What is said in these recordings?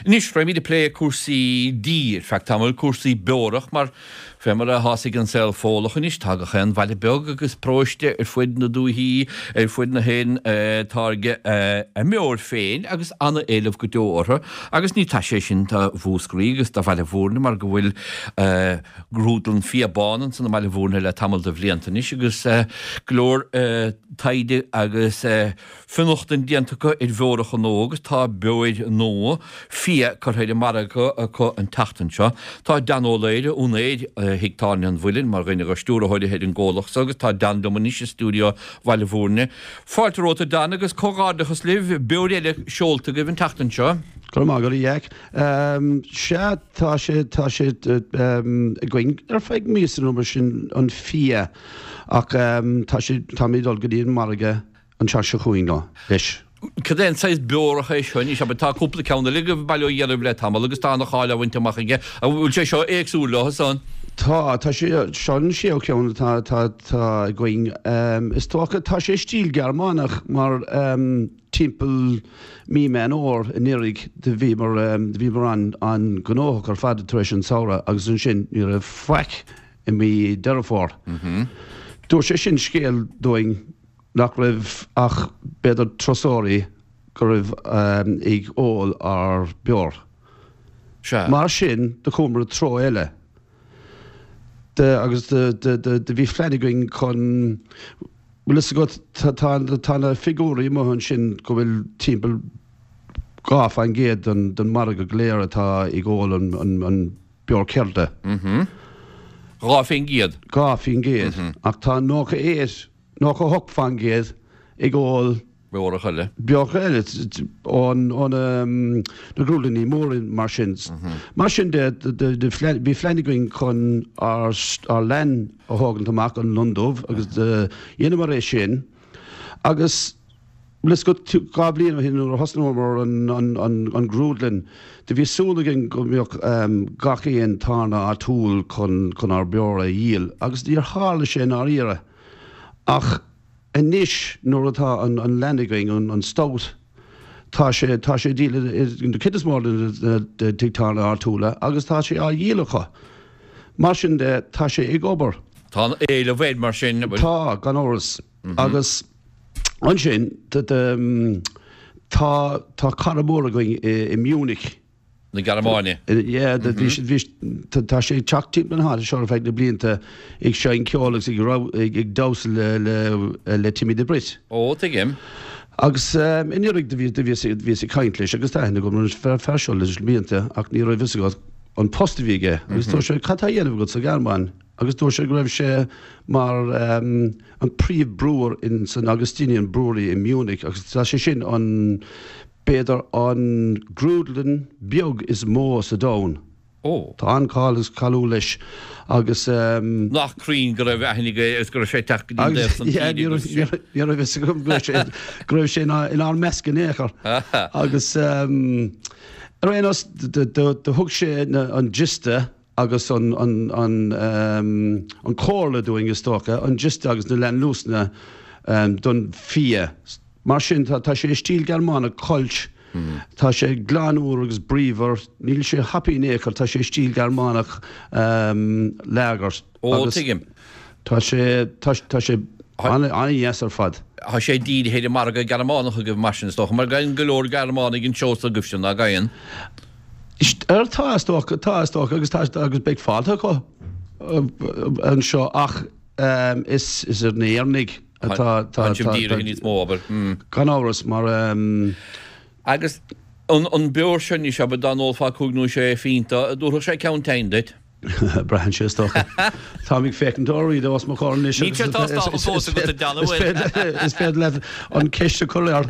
Anois, raghaimid ag plé cúrsaí dí ar feadh tamaill, cúrsaí beorach, mar fé mar atá's ag an saol Fódhlach anois, tá gach aon bhaile beag agus paróiste ar fuid na dúichí, ar fuid na hÉireann ag táirgeadh a mbeoir féin agus ana-éileamh go deo orthu. Agus ní taise é sin do Mhúscraí agus do Bhaile Bhúirne mar go bhfuil grúdlann Fia Bán ansan i mBaile Bhúirne le tamall de bhlianta anois agus go leor taighde agus Fionnachtain déanta acu ar bheoracha nua agus tá beoir nua fia curtha ar an margadh acu an tseachtain seo. Tá Dan Ó Laoire, úinéir Thigh Tábhairne an Mhuilinn, mar dhuine de stiúrthóirí ar an gcomhlacht so agus tá Dan liom anois i stiúideo Bhaile Bhúirne. Fáilte romhat a Dan agus comhghairdeachas libh, beoir eile seolta agaibh an tseachtain seo. Go raibh maith agat a Jeaic. Sea, tá sé, tá sé againn ar feadh míosa nó mar sin, an fia, ach tá sé, táimid ag dul go dtí an margadh an tseachtain seo chugainn leis. Cad é an saghas beorach é seo anois? Abair, tá cúpla ceann eile agaibh bail ó Dhia oraibh le tamall agus tá ana-cháil á bhaint amach aige. An bhfuil sé seo éagsúil leo san? Tá, tá sé, seo an séú ceann atá, atá, atá againn. Is dócha, tá sé i stíl Gearmánach mar timpeall mí Meán Fhómhair anuraidh do bhíomar, do bhíomar an, an-ghnóthach ar fad tar éis an samhradh agus ansin ní raibh faic i mí Deireadh Fómhair. Dúirt sé sin scéal dúinn nach raibh ach b'fhéidir turasóirí go raibh ag ól ár beoir. Sea. Mar sin, do chuamar i dtreo eile. De, agus de, de, de, de bhí phlean againn chun, bhfuil fhios agat, tá, tá, tá na figiúirí amuigh ansin go bhfuil timpeall 2% den, den margadh go léir atá ag ól an, an, an beoir ceirde. 2%. 2%. Ach tá 98. 98% ag ól. Beorach eile. Beorach eile ó na grúdlannaí móra mar sin. Mar sin de, bhí phlean againn chun ár leann a thógaint amach, an Lon Dubh, agus dheineamar é sin. Agus bhfuil fhios agat, 2 bhliain ó shin nuair a thosnaíomar an grúdlann, do bhí súil againn go mbeadh gach aon tábhairne áitiúil chun ár beoir a dhíol, agus níor tharla sé i ndáiríre. Ach anois nuair atá an leann againn, an stout, tá sé, tá sé á dhíol i na cuid is mó de na tigh tábhairne áitiúla agus tá sé á dhíol acu. Mar sin de, tá sé ag obair. Tá an éileamh air mar sin, an bhfuil? Tá, gan amhras. Agus ansin, tá, tá cara mór againn i Munich. na Gearmáine. Yeah, bhí siad, bhí, tá sé ag teacht timpeall na háite seo ar feadh na blianta ag seinm ceoil agus ag ag ag damhsa le le le Timmy the Brit. Ó, tuigim. Agus anuraidh do bhí do bhíos bhíos ag caint leis agus tá aithne agam ar an fear seo leis na blianta ach ní raibh fhios agat an post a bhí aige agus dúirt sé cad tá á dhéanamh agat sa Ghearmáin agus dúirt sé go raibh sé mar an príomh brewer in san Augustinian Brewery i Munich agus tá sé sin an B'fhéidir an grúdlann beag is mó sa domhan. Ó. Tá an-cháil agus cáiliúil leis agus. Nach cruinn go raibh aithne aige agus go raibh sé ag teacht go dtí an dtaobh san tíre agus sin. Ní raibh fhios agam go raibh sé go raibh sé inár measc in aon chor. Agus ar aon nós do thug sé an giosta agus an an comhairle dúinn is dócha, an giosta agus na leannluasanna don fia. Mar sin tá tá sé i stíl Gearmánach Kölsch, tá sé glan úr agus bríomhar, níl sé hoppy in aon chor, tá sé i stíl Gearmánach lager. Ó, tuigim. Tá sé tá tá sé an-dheas ar fad. Tá sé dírithe ar an margadh Gearmánach agaibh mar sin is dócha, mar gabhann go leor Gearmánaigh anseo s'agaibhse, ná gabhann? Ar tá is dócha, tá is dócha agus tá agus beidh fáilte acu anseo ach is is ar na hÉireannaigh atá tá sibh dírithe níos mó, abair. Gan amhras mar. Agus an an beoir seo anois, abair, dá n-ólfá cúig nó sé phionta, an dtabharfadh sé ceann tinn duit? Braitheann sé is dócha. Táim ag féachaint ar Reid os mo chomhair anois Níl sé tástáilte fós agat a John, an bhfuil? Is féidir leat an ceist a chur air.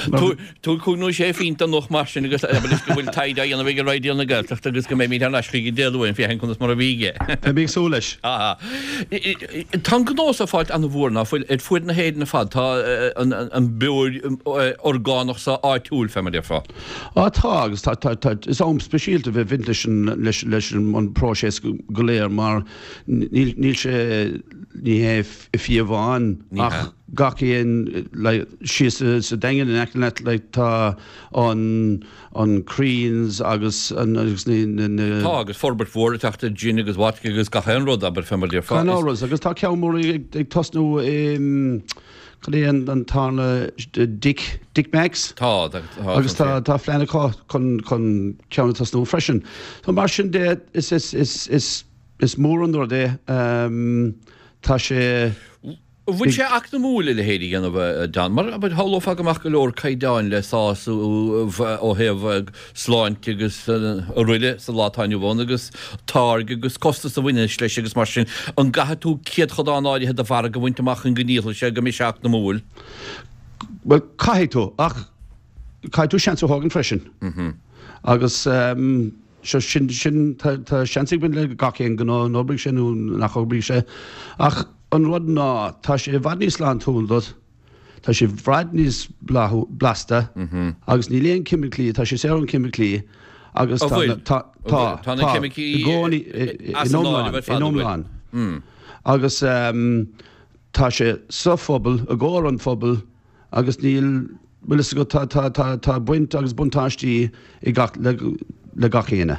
Tabhair cúig nó sé phionta anocht mar sin agus abair leis go bhfuil taighde á dhéanamh ag Raidió na Gaeltachta agus go mbeimid thar n-ais chuige Dé Luain féachaint conas mar a bhí aige. Beidh mé ag súil leis. Tá an gnó so ag fáilt an-mhór ná fuil ar fuaid na hÉireann ar fad. Tá an beoir orgánach so áitiúil fé mar a déarfá. Á tá agus tá, tá, tá, is am speisialta bheith bhaint leis an, leis, leis an. an próiseas go léir mar níl níl sé ní hé fia amháin ach gach aon like síos sa Daingean in aice leat like tá an an Crean's agus an agus na na. Tá agus forbairt mhór ag teacht ar gin agus vodka agus gach aon rud abair fé mar a déarfá. Gan amhras agus tá ceann mór ag tosnú i cad é an an tarna Dick Dick Mack's? Tá tá Agus tá tá phlean acu chun chun ceann a tosnú freisin. So mar sin de is is is is is mór an rud é tá sé. An bhfuil sé eacnamúil a leithéid a dhéanamh, a John? Mar, abair, shamhlófá go mbeadh go leor caighdeáin le sásamh ó thaobh sláinte agus araile sa lá atá inniu ann agus táirge agus costas a bhaineas leis agus mar sin. An gcaithfidh tú céadchodán áirithe de mhargadh a bhaint amach chun go ndíolfaidh sé, go mbeidh sé eacnamúil? Bhuel, caithfidh tú, ach caithfidh tú seans a thógaint freisin. Agus seo, sin, sin, tá seans ag baint le gach aon ghnó, an oibreoidh sé nó nach oibreoidh sé. Ach. An rud ná, tá sé i bhfad níos sláintiúil duit, tá sé i bhfad níos blasta agus níl aon ceimiclí, tá sé saor ón ceimiclí agus tá, tá, tá, tá na ceimicí i gcónaí, in iomlán, in iomlán. Agus tá sé sa phobal, i gcomhair an phobail, Agus níl, bhfuil fhios agat, tá, tá, tá, tá baint agus buntáistí i gach, le, le gach éinne.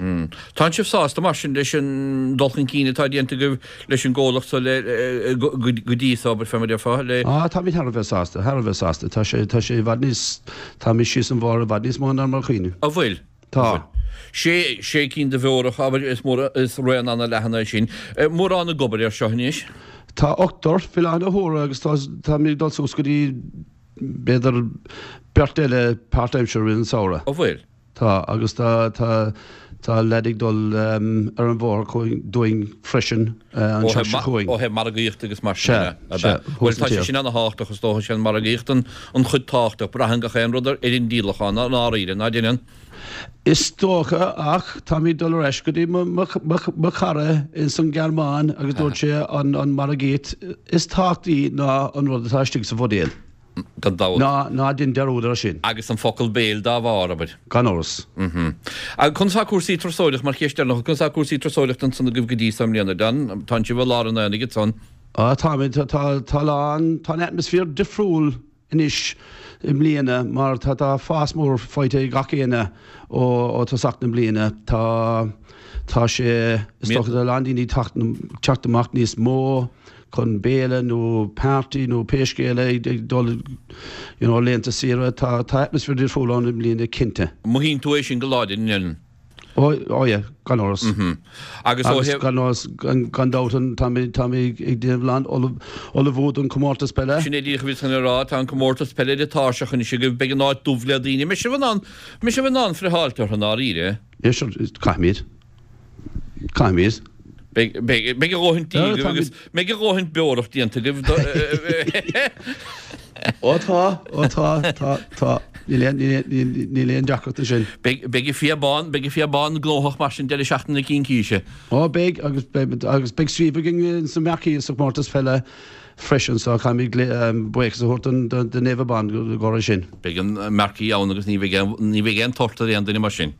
Tánn sibh sásta mar sin leis an dul chun cinn atá déanta agaibh leis an gcomhlacht so le, go, go dtí so, abair, fé mar a déarfá, le. Ah, táimid thar a bheith sásta, thar a bheith sásta. Tá sé, tá sé i bhfad níos, táimid síos an bhóthar i bhfad níos mó ná mar a chuimhním. An bhfuil? Tá. Sé, sé cinn de bheorach, abair, is mór, is raon ana-leathan é sin. Mórán ag obair air seo anois? Tá ochtar faoi láthair na huaire agus tá, táimid ag dul suas go dtí b'fhéidir beirt eile páirtaimseartha i rith an samhradh. An bhfuil? Tá, agus tá, tá, tá leaid ag dul ar an bhóthar chugainn, dúinn freisin an tseachtain seo chugainn. Ó thaobh margaíochta agus mar sin de, ab ea? Sea, sea, Bhuel, tá sé sin ana-thábhachtach is dócha, sé an margaíocht an, an chuid tábhachtach. Braitheann gach aon rud ar an díolachán, i ndáiríre, ná deineann? Is dócha, ach táimid ag dul ar ais go dtí mo chara ins an Ghearmáin agus dúirt sé an margaíocht is tábhachtaí ná an rud atá istigh sa bhuidéal. Gan dabht. Ná ná déan dearúd air sin. Agus an focal béil dá bharr, abair. Gan amhras. Agus conas tá cúrsaí turasóireachta, mar cheist deireanach, conas tá cúrsaí turasóireachta ansan agaibh go dtí so i mbliana, John? Tánn sibh i lár an aonaigh ansan. Á, táimid, tá, tá lán, tá an atmaisféar difriúil anois i mbliana mar tá tá fás mór faighte ag gach éinne ó ó tosach na bliana. Tá tá sé is dócha tá a lán daoine ag teacht amach níos mó chun béile nó party nó pé scéal é ag dul you know laethanta saoire. Tá tá atmaisféar difriúil ann i mbliana cinnte. Mothaíonn tú é sin go láidir, an ndeineann? Ó, ó yeah, gan amhras. Agus ó Agus gan amhras, gan dabht, tá mé, tá mé ag déanamh lán ullmhú don comórtas peile. Sin é díreach a bhíos chun a rá, tá an comórtas peile ar an tairseach anois agaibh, beidh an áit dubh le daoine. Mbeidh sibh in ann, mbeidh sibh in ann friotháilt orthu i ndáiríre? Yeah, sure, caithfimid. Caithfimid. Beidh, beidh, beidh a dhóthain dí agaibh agus mbeidh a dhóthain beorach déanta agaibh do. Ó tá, ó tá, tá, tá. Níl aon, níl aon, níl aon deacracht ansin. Beidh, beidh an fia bán, beidh an fia bán gnóthach mar sin deireadh seachtaine na Cincíse. Ó beidh, agus beidh, agus beidh suíomh againn sa Marquee sa chomórtas peile freisin so caithfimid buíochas a thabhairt don, don Naomh Abán i gcomhair sin. Beidh an Marquee ann agus ní bheidh aon, ní bheidh aon tort ar aon duine mar sin.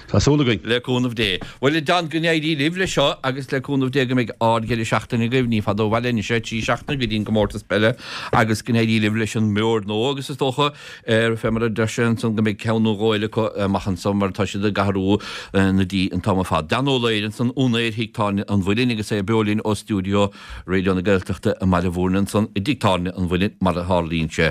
Tá súil againn. Le cúnamh Dé. Bhuel, a John, go n-éirí libh leis seo agus le cúnamh Dé go mbeidh ard-dheireadh seachtaine agaibh. Ní fada ó bhaile anois é, 3 seachtaine go dtí an gcomórtas peile agus go n-éirí libh leis an mbeoir nua agus is dócha, fé mar a deir sé ansan, go mbeidh ceann nó dhó eile acu amach anso mar tá siad ag athrú na dtithe an t-am ar fad. Dan Ó Laoire ansan, úinéir Thigh Tábhairne an Mhuilinn agus é beo linn ó stiúideo Raidió na Gaeltachta i mBaile Bhúirne ansan i dTigh Tábhairne an Mhuilinn mar a tharlaíonn sé.